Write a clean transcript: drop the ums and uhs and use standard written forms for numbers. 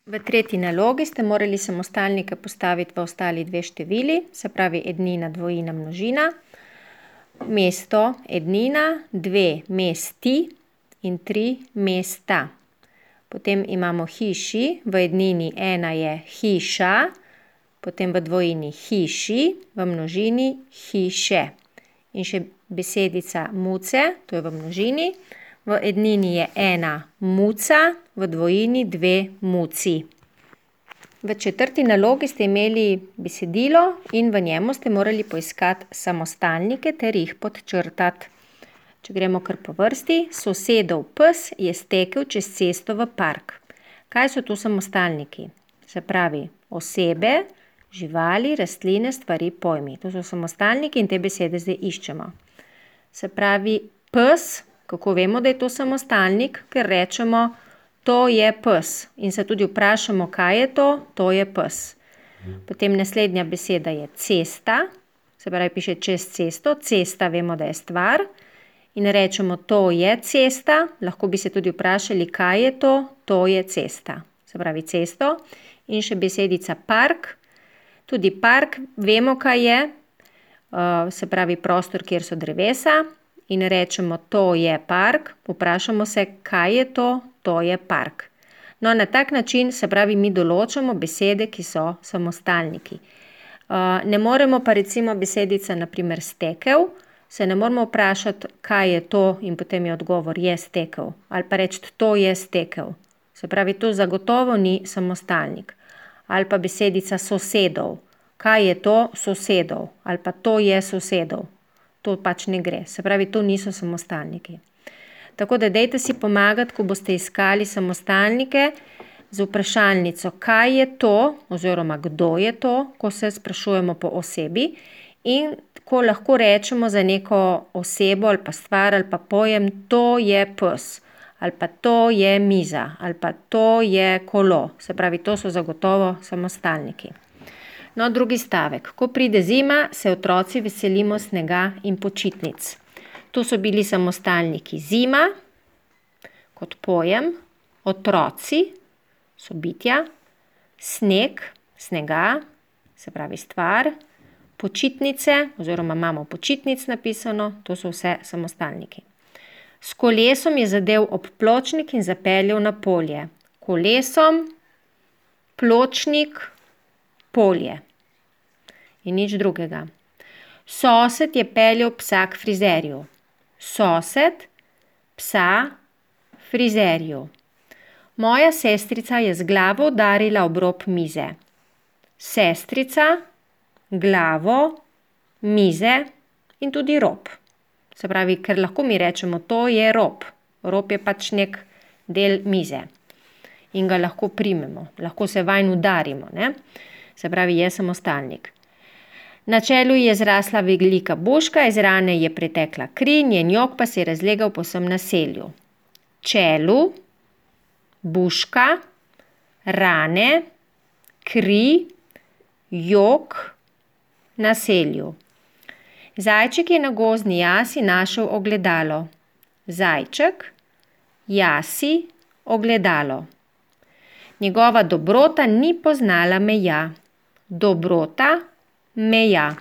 V tretji nalogi ste morali samostalnike postaviti v ostali dve števili, se pravi ednina, dvojina, množina. Mesto ednina, 2 mesti in 3 mesta. Potem imamo hiši, v ednini 1 je hiša, potem v dvojini hiši, v množini hiše. In še besedica muce, to je v množini. V ednini je 1 muca, v dvojini 2 muci. V četrti nalogi ste imeli besedilo in v njemu ste morali poiskati samostalnike ter jih podčrtati. Če gremo kar po vrsti, sosedov pes je stekel čez cesto v park. Kaj so tu samostalniki? Se pravi, osebe, živali, rastline, stvari, pojmi. To so samostalniki in te besede zdaj iščemo. Se pravi, pes, kako vemo, da je to samostalnik? Ker rečemo, to je pes. In se tudi vprašamo, kaj je to? To je pes. Potem naslednja beseda je cesta. Se pravi, piše čez cesto. Cesta vemo, da je stvar. In rečemo, to je cesta. Lahko bi se tudi vprašali, kaj je to? To je cesta. Se pravi, cesto. In še besedica park. Tudi park vemo, kaj je. Se pravi, prostor, kjer so drevesa. In rečemo, to je park. Vprašamo se, kaj je to? To je park. No, na tak način, se pravi, mi določamo besede, ki so samostalniki. Ne moremo pa recimo besedica, na primer, stekel, se ne moramo vprašati, kaj je to in potem je odgovor, je stekel. Ali pa reči, to je stekel. Se pravi, to zagotovo ni samostalnik. Ali pa besedica sosedov. Kaj je to? Sosedov. Ali pa to je sosedov. To pač ne gre. Se pravi, to niso samostalniki. Tako da dajte si pomagati, ko boste iskali samostalnike z vprašalnico, kaj je to oziroma kdo je to, ko se sprašujemo po osebi in ko lahko rečemo za neko osebo ali pa stvar ali pa pojem, to je pes ali pa to je miza ali pa to je kolo. Se pravi, to so zagotovo samostalniki. No, drugi stavek. Ko pride zima, se otroci veselimo snega in počitnic. Tu so bili samostalniki zima, kot pojem, otroci, so bitja, sneg, snega, se pravi stvar, počitnice, oziroma imamo počitnic napisano, to so vse samostalniki. S kolesom je zadev ob pločnik in zapeljal na polje. Kolesom, pločnik, polje. In nič drugega. Sosed je peljal psa k frizerju. Sosed, psa, frizerju. Moja sestrica je z glavo udarila ob rob mize. Sestrica, glavo, mize in tudi rob. Se pravi, ker lahko mi rečemo, to je rob. Rob je pač nek del mize. In ga lahko primemo. Lahko se vanj udarimo, ne? Se pravi, je samostalnik. Na čelu je zrasla velika buška, iz rane je pretekla kri, njen jok pa se je razlegal po vsem naselju. Čelu, buška, rane, kri, jok, naselju. Zajček je na gozdni jasi našel ogledalo. Zajček, jasi, ogledalo. Njegova dobrota ni poznala meja. Dobrota, meja.